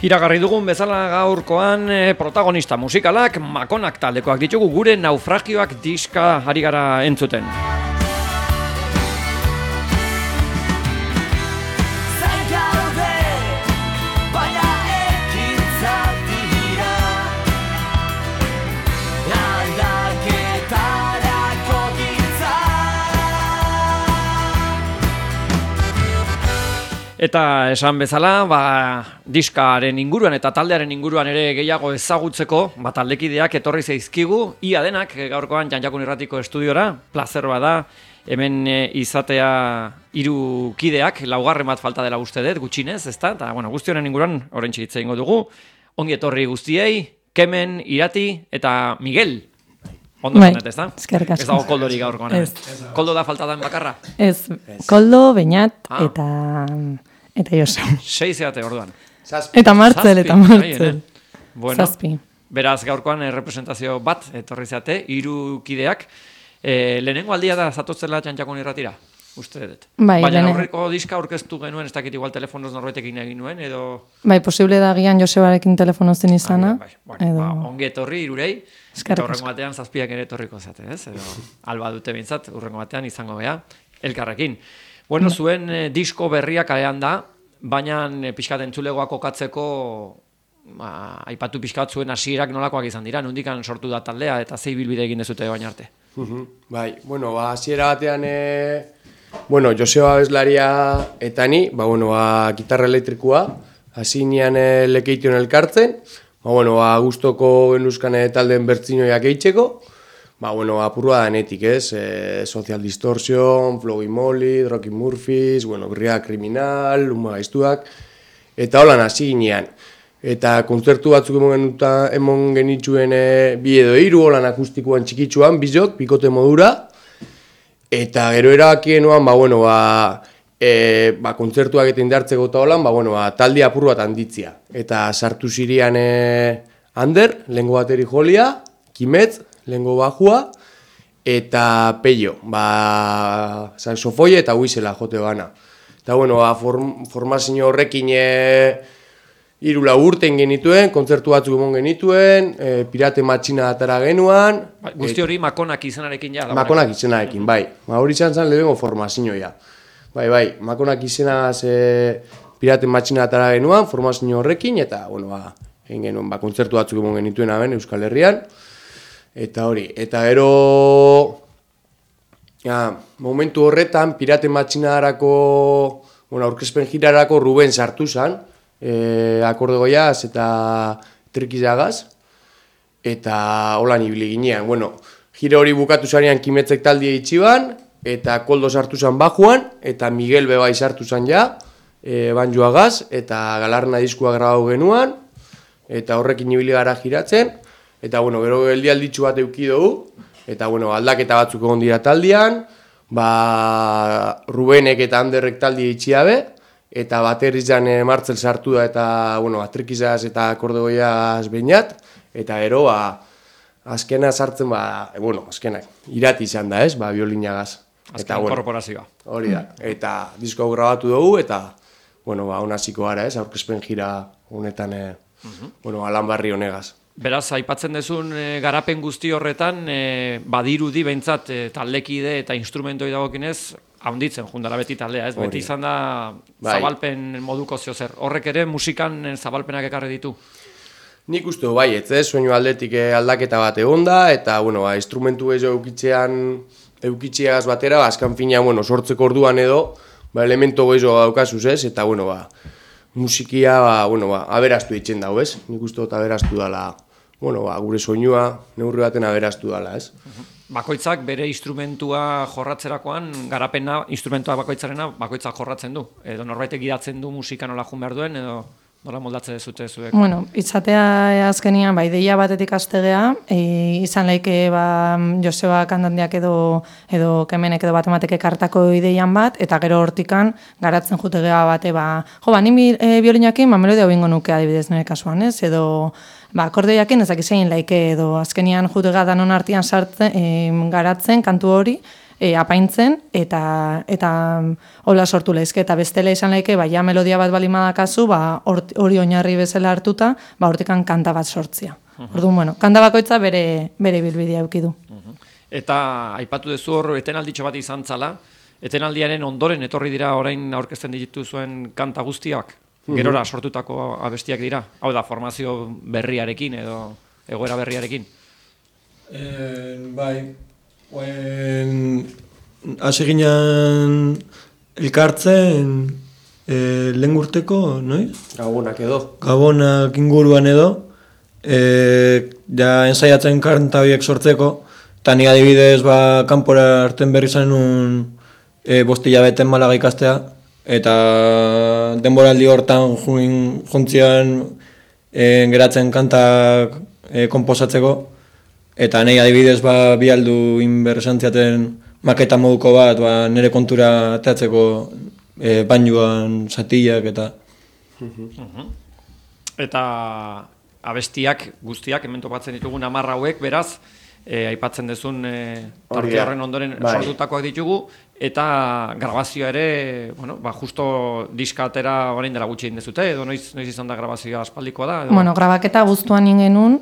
Iragarri dugun bezala gaurkoan protagonista musikalak Makonak taldekoak ditugu gure naufragioak diska ari gara entzuten. Eta esan bezala, diskaren inguruan eta taldearen inguruan ere gehiago ezagutzeko, taldekideak etorri zaizkigu, ia denak gaurkoan Jan-Jakun Irratiko estudiora, plazer bada, hemen izatea 3 kideak, laugarren bat falta dela uste dut, gutxinez, ezta? Eta guzti honen inguruan, oraintxe hitz egingo dugu, ongi etorri guztiei, Kemen, Irati eta Miguel. Ondo zanet, ezta? Eskerrik asko. Ez dago Koldori gaurkoan. Koldo da falta den bakarra? Ez, Koldo, Beñat eta Josu. 6 zeate orduan. Eta Martzel. Bueno, Zazpi. Beraz gaurkoan representazio bat etorri zeate, 3 kideak. Lehenengo aldia da zatotzela Jan-Jakun Irratira, uste dut. Baina aurreko diska aurkeztu genuen, ez dakit igual telefonoz norbaitekin egin nuen, edo... Posible da gian Josebarekin telefono zen izana. Ongi etorri 3-ei, eta urrengo batean 7ak ere etorriko zate, ez? Edo alba dute bintzat, urrengo batean izango bea, elkarrekin. Bueno, zuen disko berria kalean da, baina pixkat entzulegoa kokatzeko aipatu pixkat zuen hasierak nolakoak izan dira, nondikan sortu da taldea eta zei bilbide egin dezute baina arte. Bai, hasiera batean, Joseba abeslaria eta ni, gitarra elektrikoa, hasi nian lekeition elkartzen, gustoko genuzkan taldeen bertzinoiak eitzeko, apurua danetik, ez? Social Distortion, Flowy Molly, Rocky Murphys, Birria Kriminal, Luma Gaiztuak, eta holan hasi ginean. Eta kontzertu batzuk emon genituen 2 edo 3, holan akustikoan txikitsuan, bizok, bikote modura, eta gero erabakien noan, kontzertuak eta indartzeko eta holan, talde apur bat handitzia. Eta sartu zirian Ander, lehengo bateri jolia, Kimetz, lehengo bajua, eta Peio, saxofoi eta huizela jote gana. Eta, formazio horrekin 3 urten genituen, kontzertu batzuk emon genituen, Pirate Matxina atara genuan. Guzti hori Makonak izenarekin ja? Makonak izenarekin, bai. Hori izan zen lehengo formazioa. Bai, Makonak izenaz Pirate Matxina atara genuan, formazio horrekin, eta, egin genuen, kontzertu batzuk emon genituen aben Euskal Herrian. Eta hori, eta gero momentu horretan Pirate Matxinarako, aurkezpen jirarako Ruben sartu zen, akorde goiaz eta trikizagaz, eta holan ibili ginean. Gira hori bukatu zanean Kimetzek taldia itxiban, eta Koldo sartu zen bajuan, eta Miguel bebai sartu zen ja, banjoagaz, eta Galarna diskua grabau genuan, eta horrekin ibili gara giratzen. Eta, gero geldialditxu bat euki dugu, eta, aldaketa batzuk egon dira taldean, Rubenek eta Anderrek taldia itxiabe, eta baterizan Martzel sartu da, eta, atrikizaz eta akordegoiaz Beñat, eta gero, azkena sartzen, azkenak, Irati izan da, ez, biolinagaz. Azken inkorporazioa. Hori da, eta disko hau grabatu dugu, eta, honaziko gara, ez, aurkezpen jira honetan, Alan Barri honegaz. Beraz, aipatzen dezun garapen guzti horretan, badirudi behintzat taldekide eta instrumentoi dagokinez, haunditzen jundara beti taldea, ez? Beti izan da zabalpen moduko ziozer. Horrek ere musikan zabalpenak ekarri ditu? Nik uste bai, ez, soinu aldetik aldaketa bat egon da, eta, instrumentu ez eukitxeagaz batera, azkan fina, sortzeko orduan edo, elemento gehiago daukazuz, ez? Eta, musikia, aberastu ditzen dago, ez? Nik uste dut aberastu dala, gure soinua, neurri baten aberastu dala, ez? Bakoitzak bere instrumentua jorratzerakoan, garapena, instrumentua bakoitzarena, bakoitzak jorratzen du. Edo norbaitek gidatzen du musika nola jun behar duen, edo nola moldatzen dezute zuek? Itzatea azkenian, ideia batetik astegea, izan laike Joseba kantandiak edo Kemenek edo batemateke kartako ideian bat, eta gero hortikan garatzen jutegea bate, ni biolinakin, melodia bingo nuke adibidez nire kasuan, ez? Edo, akordeoiakin ezak izain laike edo azkenian jutega danon artian sartzen, garatzen kantu hori, apaintzen, eta hola sortu lehizke, eta bestela izan laike, ja melodia bat bali madakazu, hori oinarri bezala hartuta, hortikan kanta bat sortzia. Orduan, bueno, kanta bakoitza bere bilbidea eukidu. Eta aipatu duzu hor, etenalditxo bat izan zala, etenaldiaren ondoren etorri dira orain aurkezten ditu zuen kanta guztiak, gerora sortutako abestiak dira, hau da, formazio berriarekin edo egoera berriarekin. Bai, hasi ginen elkartzen lehen urteko, noiz? Gabonak inguruan edo, ja ensaiatzen kanta horiek sortzeko, eta ni adibidez kanpora hartzen berri zenun 5 hilabete Malaga ikastea, eta denboraldi hortan juntzian geratzen kantak konposatzeko, eta nahi adibidez bi aldu inberresantziaten maketa moduko bat nire kontura ateatzeko bainuan zatiak eta... Eta abestiak guztiak, hemen topatzen ditugun 10 hauek, beraz, aipatzen dezun tarte horren ondoren sortutakoak ditugu, eta grabazioa ere, justo diska atera orain dela gutxi egin dezute, edo noiz izan da grabazioa aspaldikoa da? Bueno, grabaketa guztuan ingenun,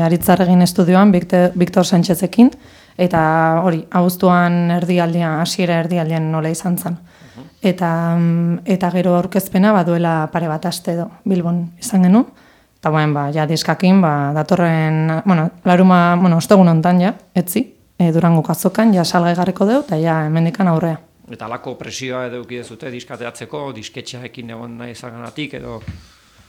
Aritzarregin estudioan, Victor Sánchezekin, eta hori, abuztuan erdialdean, hasiera erdialdean nola izan zen. Eta gero aurkezpena baduela pare bat aste edo Bilbon izan genuen. Eta ja diskakin, datorren, laruma, ostegun hontan ja, etzi, Durango azokan, ja salgai garriko deu, eta ja hemendikan aurrea. Eta alako presioa edo ukidezute diskateatzeko, disketxearekin egon nahi izagatik edo...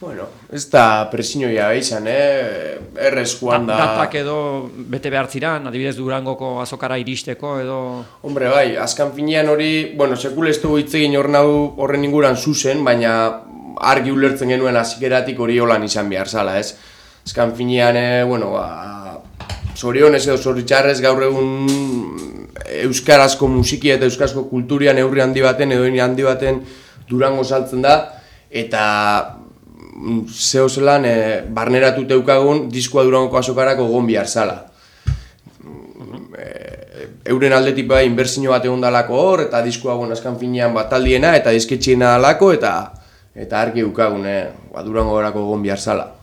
Bueno, ez da presioa izan, errez joan da... Datak edo bete behar ziran, adibidez Durangoko azokara iristeko edo... Hombre, bai, azkan finean hori, sekule ez dugu hitzegin horren inguran zuzen, baina argi ulertzen genuen hasieratik hori holan izan behar zala, ez? Azkan finean, zorionez edo zoritxarrez gaur egun euskarazko musiki eta euskarazko kulturian neurri handi baten edo handi baten Durango saltzen da, eta zeo zelan barneratu teukagun diskoa Durangoko azokarako egon behar zala. Euren aldetik inbertsio bat egon dalako hor, eta diskoa azkan finean taldiena eta disketxiena dalako, eta argi eukagun Durango horako egon behar zala.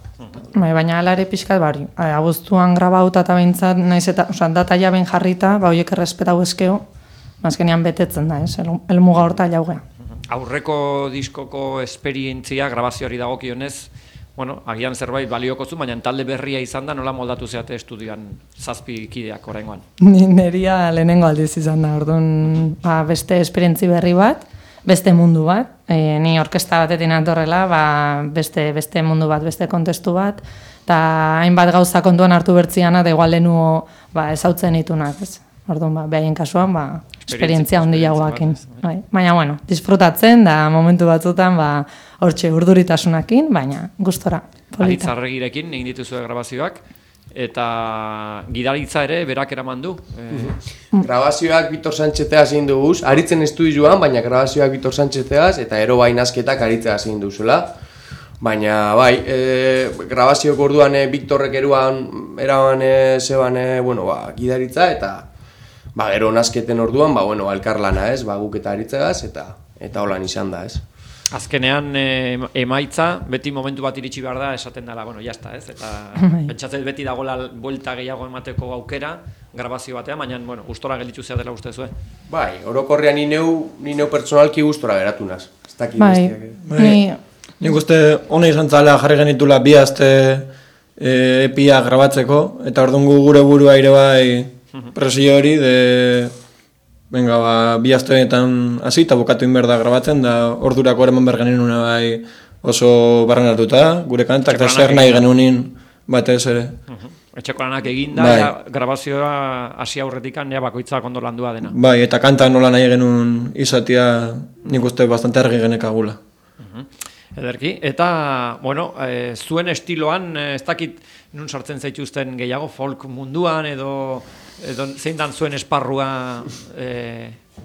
Baina alare pixkat bari, abuztuan grabauta eta behintzat, naiz eta, data jaben jarrita, horiek errespetau eskeo, azkenean betetzen da, elmuga horta jaugea. Aurreko diskoko esperientzia, grabazioari dagokionez, agian zerbait balioko zu, baina talde berria izan da, nola moldatu zeate estudioan 7 kideak oraingoan? Neria lehenengo aldiz izan da, orduan beste esperientzi berri bat, beste mundu bat, ni orkesta batetin atorrela, beste mundu bat, beste kontestu bat, eta hainbat gauza kontuan hartu bertziana, da igual lehenuo ezautzen itunak, ez? Orduan, behaien kasuan, esperientzia handi jagoakin. Baina, disfrutatzen, da momentu batzutan, hortxe urduritasunakin, baina gustora, polita. Aritzarregirekin egin dituzue grabazioak, eta gidaritza ere berak eraman du. Grabazioak Victor Sánchezeaz egin duguz, aritzen estudioan, baina grabazioak Victor Sánchezeaz eta ero bainazketak aritzeaz egin duzula. Baina, grabaziok orduan Victorrek eraman zeban gidaritza, eta gero nazketen orduan, elkarlana ez, guk eta aritzegaz, eta holan izan da ez. Azkenean emaitza, beti momentu bat iritsi behar da, esaten dela, jazta ez, eta pentsatzen beti dagoela buelta gehiago emateko aukera, grabazio batean, baina, gustora gelditzu zea dela uste zuen. Orokorrean ni neu pertsonalki gustora geratu naz. Nik uste hona izan zala jarri genitula 2 aste epia grabatzeko, eta orduan gure burua ere presio hori, venga, 2 asteetan hasi eta bukatu inberda grabatzen, da ordurako eraman behar genuen oso barrenatuta, gure kantak, eta zer nahi genunin batez ere. Etxeko lanak eginda, grabazioa hasi aurretikan, bakoitzak ondo landua dena. Eta kanta nola nahi genuen izatea, nik uste bastante argi genekagula. Ederki, eta, zuen estiloan, ez dakit nun sartzen zaituzten gehiago folk munduan, edo zein dan zuen esparrua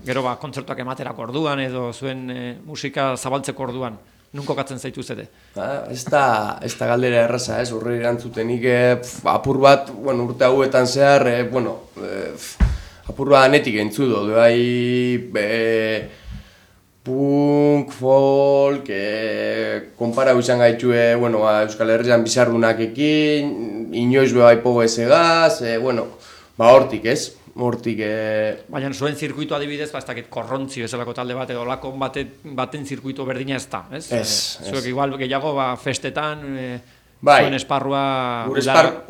gero kontzertuak ematerako orduan, edo zuen musika zabaltzeko orduan, nun kokatzen zaituzete? Ez da galdera erraza, horre erantzutenik apur bat, urte hauetan zehar, apurua danetik entzudo, punk, folk, konparau izan gaitue, bueno, Euskal Herrian bizardunakekin, inoiz bai pogesegaz, hortik ez? Hortik... Baina zuen zirkuitu adibidez, ez dakit korrontzi bezalako talde bat edo lakon baten zirkuitu berdina ez da, ez? Zuek igual gehiago festetan, zuen esparrua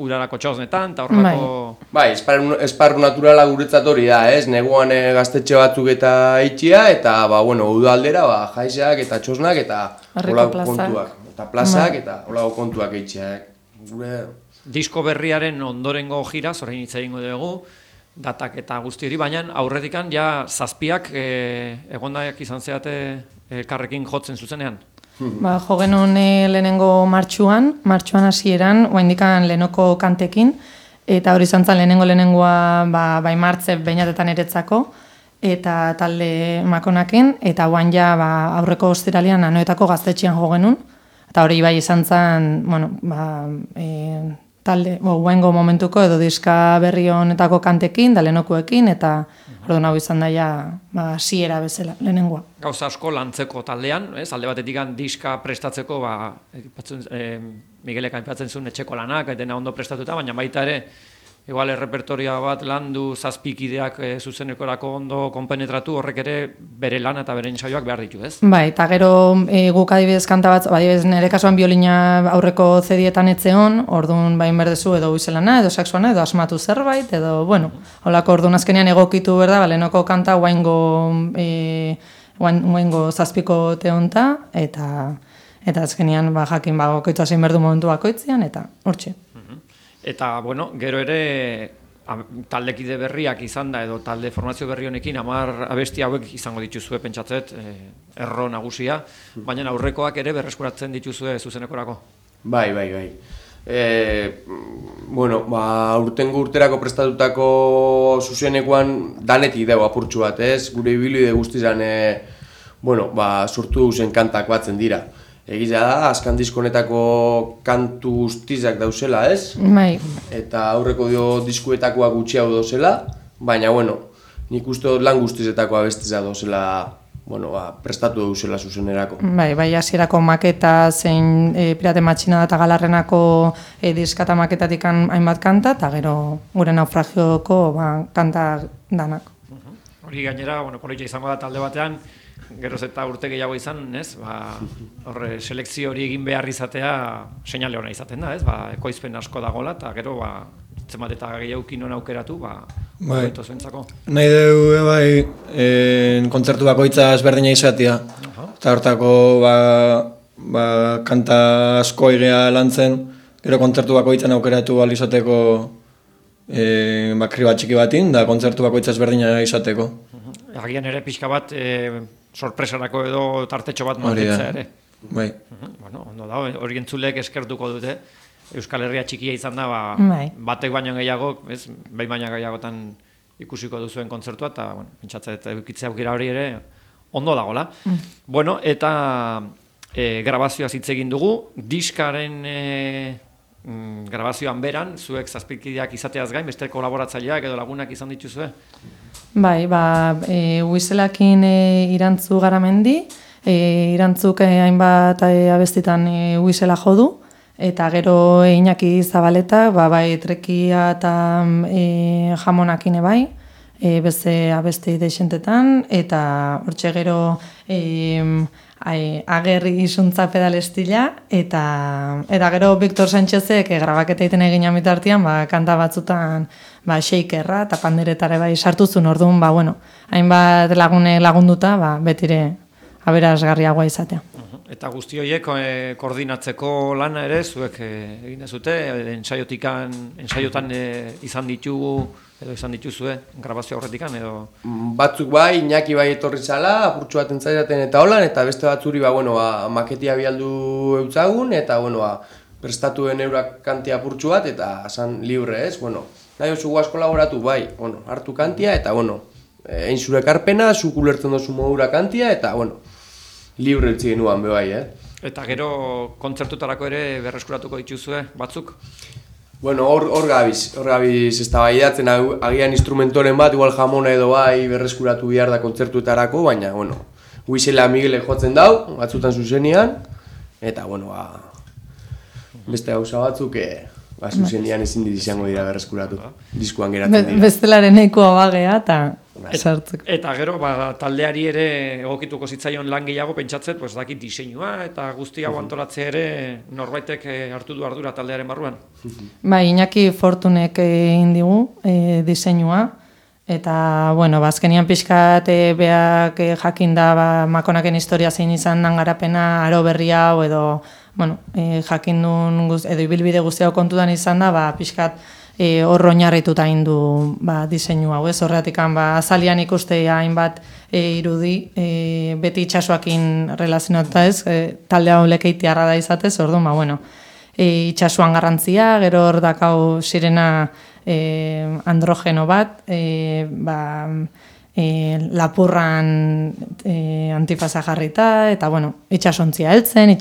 urarako txosnetan, eta horrelako... Bai, esparru naturala guretzat hori da, ez? Neguan gaztetxe batzuk eta itxia, eta, udaldera, jaizak eta txosnak eta holako kontuak. Eta plazak eta holako kontuak itxiak. Disko berriaren ondorengo gira, orain hitz egingo dugu, datak eta guzti hori, baina aurretikan ja zazpiak egondaik izan zeate karrekin jotzen zuzenean. Jo genuen lehenengo martxuan hasieran, oaindikan lehenoko kantekin, eta hori izan zen lehenengoa bai martze beinatetan eretzako, eta talde makonakin, eta oain ja aurreko ostiralian Anoetako gaztetxean jo genuen, eta hori bai izan zen, talde, guengo momentuko edo diska berri honetako kantekin, da lehenokuekin, eta orduan hau izan daia hasiera bezala, lehenengoa. Gauza asko lantzeko taldean, alde batetik diska prestatzeko, Miguelek aipatzen zuen etxeko lanak, dena ondo prestatuta, baina baita ere, igual errepertoria bat landu zazpikideak zuzenekorako ondo konpenetratu, horrek ere bere lan eta bere ensaioak behar ditu, ez? Bai, eta gero guk adibidez kanta bat, adibidez nire kasuan biolina aurreko zedietan etzeon, orduan bain berdezu edo uizelana, edo saxoana, edo asmatu zerbait, edo, holako orduan azkenean egokitu berda, lehenoko kanta guaingo zazpiko teonta, eta azkenean jakin gokoitu hasin berdu momentu bakoitzean, eta hortxe. Eta, gero ere taldekide berriak izan da, edo talde formazio berri honekin 10 abesti hauek izango dituzue pentsatzet, erro nagusia, baina aurrekoak ere berreskuratzen dituzue zuzenekorako. Bai. Urtengo urterako prestatutako zuzenekoan danetik dago apurtxu bat, ez? Gure ibilbide guztizan, sortu zen kantak batzen dira. Egiza da, azkan diskonetako kantu guztizak dauzela, ez? Bai. Eta aurreko diskuetakoa gutxiago dauzela, baina, nik uste lan guztizetako abestiza dauzela, prestatu dauzela zuzenerako. Bai, hasierako maketa zein Pirate Matxina eta Galarrenako diskata maketatik hainbat kanta, eta gero gure naufragioko kanta danak. Hori gainera, politxa izango da talde batean, geroz eta urte gehiago izan, ez? Horre, selekzio hori egin behar izatea seinale hona izaten da, ez? Ekoizpen asko dagoela, eta gero, zenbat eta gehiagokin hona aukeratu, hobeto zuentzako. Nahi dugu, kontzertu bakoitza ezberdina izatea. Eta hortako, kanta asko irea lantzen, gero kontzertu bakoitzan aukeratu alizateko bakri bat txiki batin, da kontzertu bakoitza ezberdina izateko. Agian ere pixka bat, sorpresarako edo tartetxo bat mantentzea ere. Bai. Ondo da, hori entzulek eskertuko dute. Euskal Herria txikia izan da, batek baino gehiago, behin baina gehiagotan ikusiko duzuen kontzertua, eta pentsatzen edukitzea aukera hori ere ondo dagoela. Eta grabazioa hitz egin dugu, diskaren grabazioan beran, zuek zazpikideak izateaz gain, beste kolaboratzaileak edo lagunak izan dituzue? Bai, Huizelakin Irantzu Garamendi, Irantzuk hainbat abestitan Huizela jodu, eta gero Iñaki Zabaleta, bai Trekia eta Jamonakin bai, beste abesti deixentetan, eta hortxe gero Agerri isuntza pedalestila, eta gero Victor Sánchezek grabaketa egiten egin amitartian, kanta batzutan shakerra eta panderetare bai sartuzun, orduan, hainbat lagunduta, betire aberasgarriagoa izatea. Eta guzti horiek koordinatzeko lana ere, zuek egin dezute, ensaiotan izan dituzue, grabazio horretikan edo? Batzuk bai, Iñaki bai etorri zala, apurtxu bat entzairaten eta holan, eta beste batzuri maketia bialdu eutzagun, eta prestatuen eurak kantia apurtxu bat, eta esan libre ez, nahi oso guaz kolaboratu bai, hartu kantia, eta egin zure karpena, zuk ulertzen dozu modura kantia, eta libre utzi genuan bai, Eta gero kontzertutarako ere berreskuratuko dituzue batzuk? Bueno, hor gabiz eztabaidatzen agian instrumentoren bat, igual jamona edo bai berreskuratu behar da kontzertuetarako, baina, bueno, Huizela Miguelek jotzen dau, batzutan zuzenian, eta, bueno, beste gauza batzuk, zuzenian ezin izango dira berreskuratu, diskuan geratzen dira. Bestelaren ekoa bagea, eta sartzeko. Eta gero, taldeari ere egokituko zitzaion lan gehiago pentsatzet, pues dakit diseinua eta guzti hau antolatzea ere norbaitek hartu du ardura taldearen barruan. Bai, Iñaki Fortunek egin digu diseinua, eta, bueno, azkenian pixkat beak jakin da Makonaken historia zein izan dan garapena, aro berri hau edo, bueno, jakin duen edo ibilbide guzti hau kontutan izan da, pixkat hor oinarrituta egin du diseinu hau, ez? Horregatik azalian ikustea hainbat irudi beti itsasoakin relazionatuta, ez? Talde hau lekeitiarra da izatez, orduan, bueno, itsasoan garrantzia, gero hor dakau sirena androgeno bat, lapurran antifaza jarrita, eta, bueno, itsasontzia heltzen,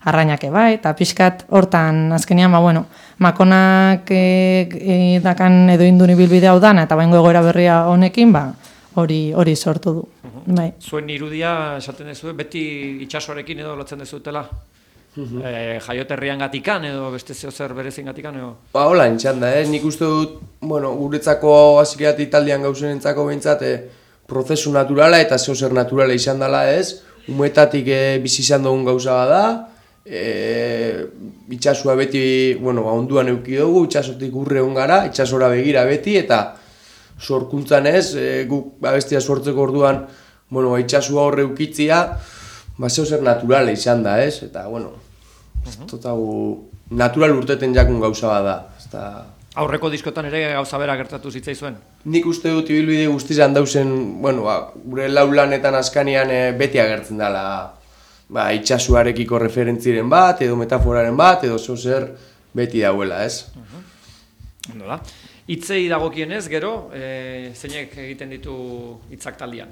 arrainak bai, eta pixkat hortan azkenean, bueno, Makonak dakan edo indun ibilbide hau dana, eta baingo egoera berria honekin, hori sortu du. Bai. Zuen irudia, esaten dezu, beti itsasoarekin edo lotzen dezutela? Jaioterrian gatikan edo beste zer berezin gatikan edo? Hola, entxan da, nik uste dut, bueno, guretzako aziriat italdian gauzenentzako behintzat prozesu naturala eta zer naturala izan dela, ez? Umetatik bizi izan dugun gauza bada, itxasua beti, bueno, onduan euki dugu, itxasotik urre hon gara, itxasora begira beti, eta sorkuntzan ez, guk abestia sortzeko orduan, bueno, itxasua horre eukitzia, zer naturala izan da, ez? Eta, bueno, natural urteten jakun gauza bada. Aurreko diskotan ere gauza bera gertatu zitzaizuen? Nik uste dut ibilbide guztizan dauzen, bueno, gure laulanetan askanian beti agertzen dela itxasuarekiko referentziren bat, edo metaforaren bat, edo zer beti dauela, ez? Nola? Hitzei dagokienez, gero, zeinek egiten ditu hitzak taldean?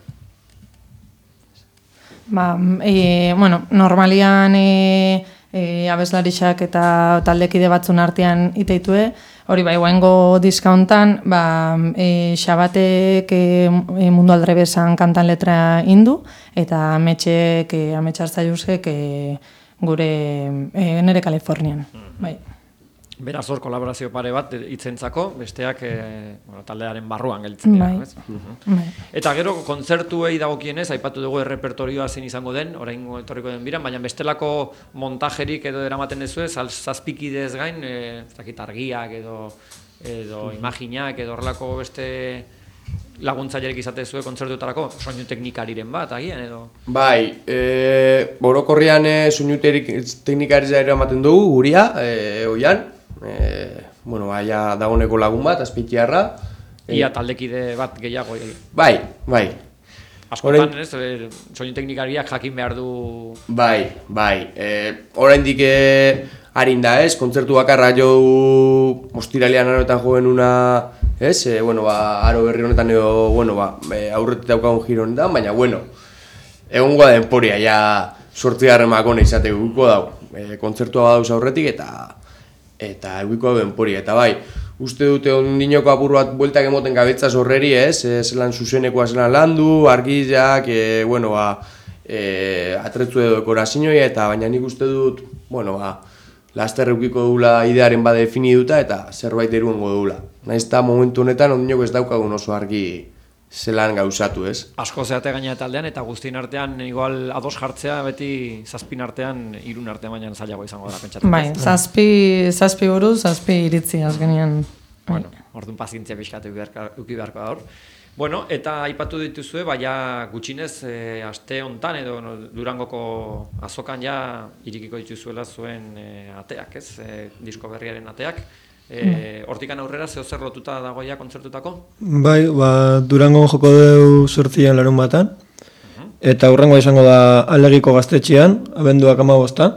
Bueno, normalian abeslarixak eta taldekide batzun artean iteitue, hori bai, guaingo diska hontan, Xabatek Mundu Aldrebesan kantan letra indu, eta Ametxartzaiusek gure nere Kalifornian. Bai. Beraz hor kolaborazio pare bat hitzentzako, besteak taldearen barruan gelditzen dira. Bai. Eta gero kontzertuei dagokienez, aipatu dugu errepertorioa zein izango den, oraingo etorriko den biran, baina bestelako montajerik edo eramaten dezue, zazpikidez gain, argiak edo imaginak edo horrelako beste laguntzailerik izatezue kontzertuetarako, soinu teknikariren bat, agian edo? Bai, orokorrian soinu teknikari eramaten dugu, guria, oian, bueno, ja dagoneko lagun bat, azpitiarra. Ia taldekide bat gehiago. Bai. Askotan, ez, soinu teknikariak jakin behar du... Bai. Oraindik harin da, ez, kontzertu bakarra jo ostiralean aroetan joen una, ez, aro berri honetan edo, aurretik daukagun giro honetan, baina, egongo da denporia, ja, 8. Makona izateko guko dau, kontzertua badauz aurretik eta egiko hau denporia, eta bai, uste dute ondinoko apur bat bueltak emoten gabetzaz horreri, ez, zelan zuzenekoa zelan landu, argizak, atretzu edo dekorazioa, eta baina nik uste dut, laster eukiko dugula idearen bade definiduta eta zerbait eruengo dugula. Naiz eta momentu honetan ondinoko ez daukagun oso argi zelan gauzatu, ez? Asko zeate gaina taldean eta guztien artean igual ados jartzea beti zazpin artean, 3 artean baina zailago izango da pentsatzen. Bai, zazpi buruz, 7 iritzi azkenean. Bueno, orduan pazientzia pixkatu uki beharko da hor. Bueno, eta aipatu dituzue, baina gutxinez aste hontan edo Durangoko azokan ja irikiko dituzuela zuen ateak, ez? Disko berriaren ateak. Hortikan aurrera zer lotuta dagoia kontzertutako? Bai, Durangon joko deu 8 larun batan, eta hurrengoa izango da Alegiko gaztetxean, abenduak 15.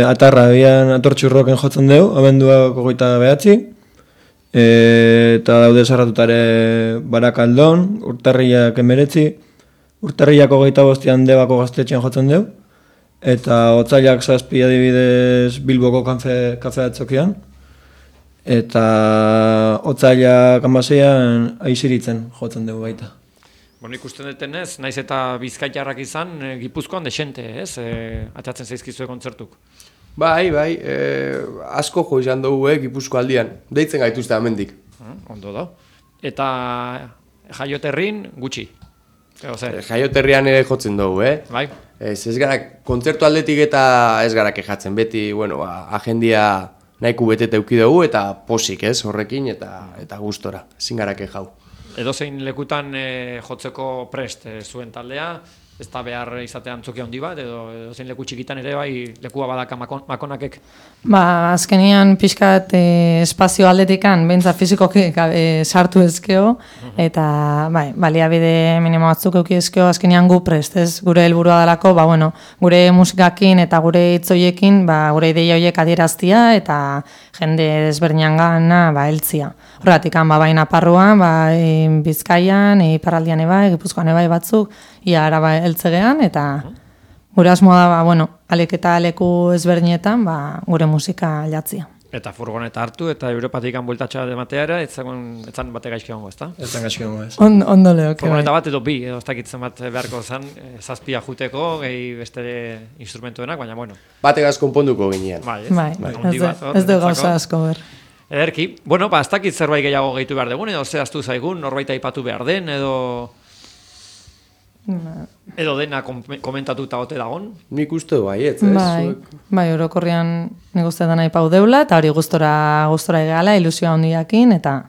Atarra, bian atortxurroken jotzen deu, abenduak 29. Eta daude sarratutare Barakaldon, Urtarriak 19, Urtarriak 25 Debako gaztetxean jotzen deu, eta otsailak 7 adibidez Bilboko kafe atzokian, eta otsailak 16an Aiziritzen jotzen dugu baita. Bueno, ikusten detenez, naiz eta bizkaitarrak izan, Gipuzkoan desente, ez? Atzatzen zaizkizue kontzertuk. Bai, asko jo izan dugu Gipuzko aldian. Deitzen gaituzte hemendik. Ondo da. Eta jaioterrin gutxi. Jaioterrian ere jotzen dugu, Bai. Ez gara, kontzertu aldetik eta ez gara kejatzen. Beti, agendia nahiko betete euki dugu eta posik, horrekin eta gustora. Ezin gara kejau. Edozein lekutan jotzeko prest zuen taldea, ez da behar izatea antzokia handi bat, edozein leku txikitan ere bai lekua badaka makonakek. Azkenian pixkat espazio aldetikan, behintzat fizikoki sartu ezkeo, eta baliabide minimo batzuk euki ezkeo, azkenian gu prest, ez? Gure helburua dalako, gure musikakin eta gure hitzoiekin, gure ideia horiek adieraztia, eta jende desberdinan gana heltzia. Horregatik, bai Naparroan, Bizkaian, iparraldian ebai, Gipuzkoan ebai batzuk, ia araba heltzegean, eta gure asmoa da, alek eta leku ezberdinetan, gure musika jatzia. Eta furgoneta hartu, eta Europatik bueltatxoa dematea ere, etzan bate gaizki hongo, ezta? Etzan gaizki hongo, ez. Ondo lehoke, furgoneta bat edo bi, edo ez dakitzen bat beharko zen, 7 juteko, gehi beste instrumentuenak, baina bueno. Bategaz konponduko ginean. Ez du gauza asko ber. Ederki, ez dakit zerbait gehiago gehitu behar dugun, edo zehaztu zaigun, norbait aipatu behar den, edo dena komentatuta ote dagon? Nik uste baietz, Bai, orokorrian nik uste dena aipau deula, eta hori gustora egala, ilusioa hondiakin, eta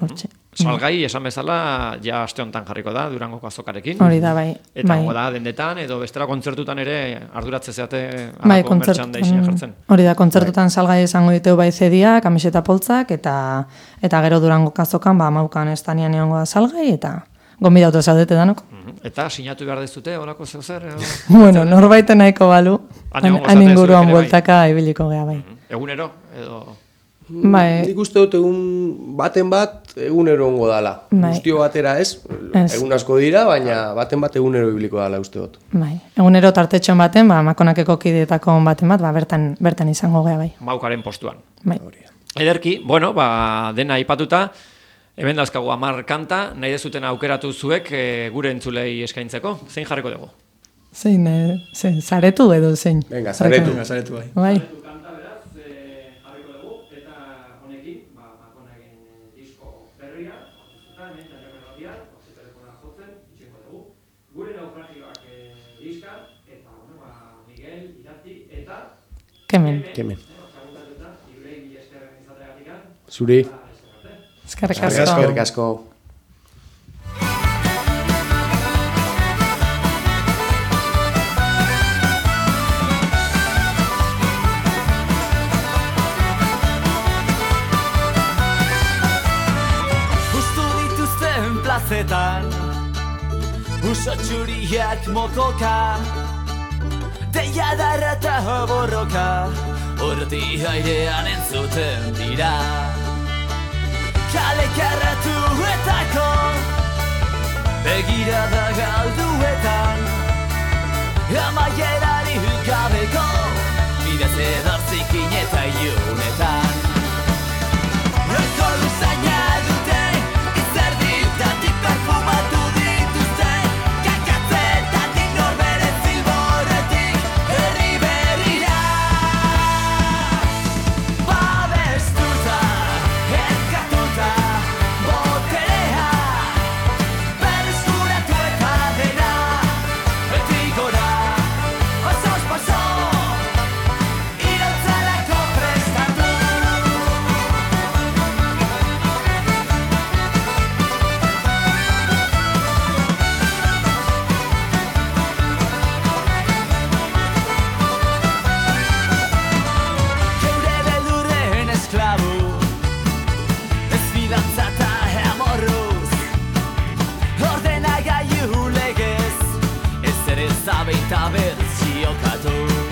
hortxe. Salgai, esan bezala, ja aste honetan jarriko da, Durangoko azokarekin. Hori da, bai. Eta da, dendetan, edo bestela kontzertutan ere arduratze zeate alako merchandisea jartzen. Hori da, kontzertutan salgai izango diteu bai zedia, kamiseta poltzak, eta gero Durangoko azokan, maukan estanian egongo da salgai, eta gonbidatu zaudete danok. Eta sinatu behar dezute, horako zer? Norbaiten nahiko balu, han inguruan bueltaka ibiliko gea bai. Egunero, edo... Nik uste dut egunero ongo dala. Guztio batera ez, egun asko dira, baina bat egunero ibiliko dala uste dut. Egunero tartetxon baten, makonakeko kideetako baten bat, bertan izango gea bai. Maukaren postuan. Ederki, dena aipatuta, hemen dazkagu 10 kanta, nahi dezuten aukeratu zuek gure entzulei eskaintzeko. Zein jarriko dugu? Zein, zaretu edo zein? Venga, zaretu bai. Kemen. Zuri. Eskerrik asko. Justu dituzten plazetan, uso txuriak mokoka, deia darra eta borroka, horti airean entzuten dira. Kale karratuetako, begirada galduetan, amaierari gabeko, bidez edortzikin eta iunetan. Roko luzaina dute, izerditatik perfumatu dituzte, kakatzetatik norbere zilborretik, herri berrira. Babestuta, elkatuta, boterea, berreskuratu eta dena, beti gora, pasos paso, iratzalako prestatu. Geure beldurren esklabu, ez bidantza eta amorruz, ordenagailu legez, ez ere zabeita bertziokatu.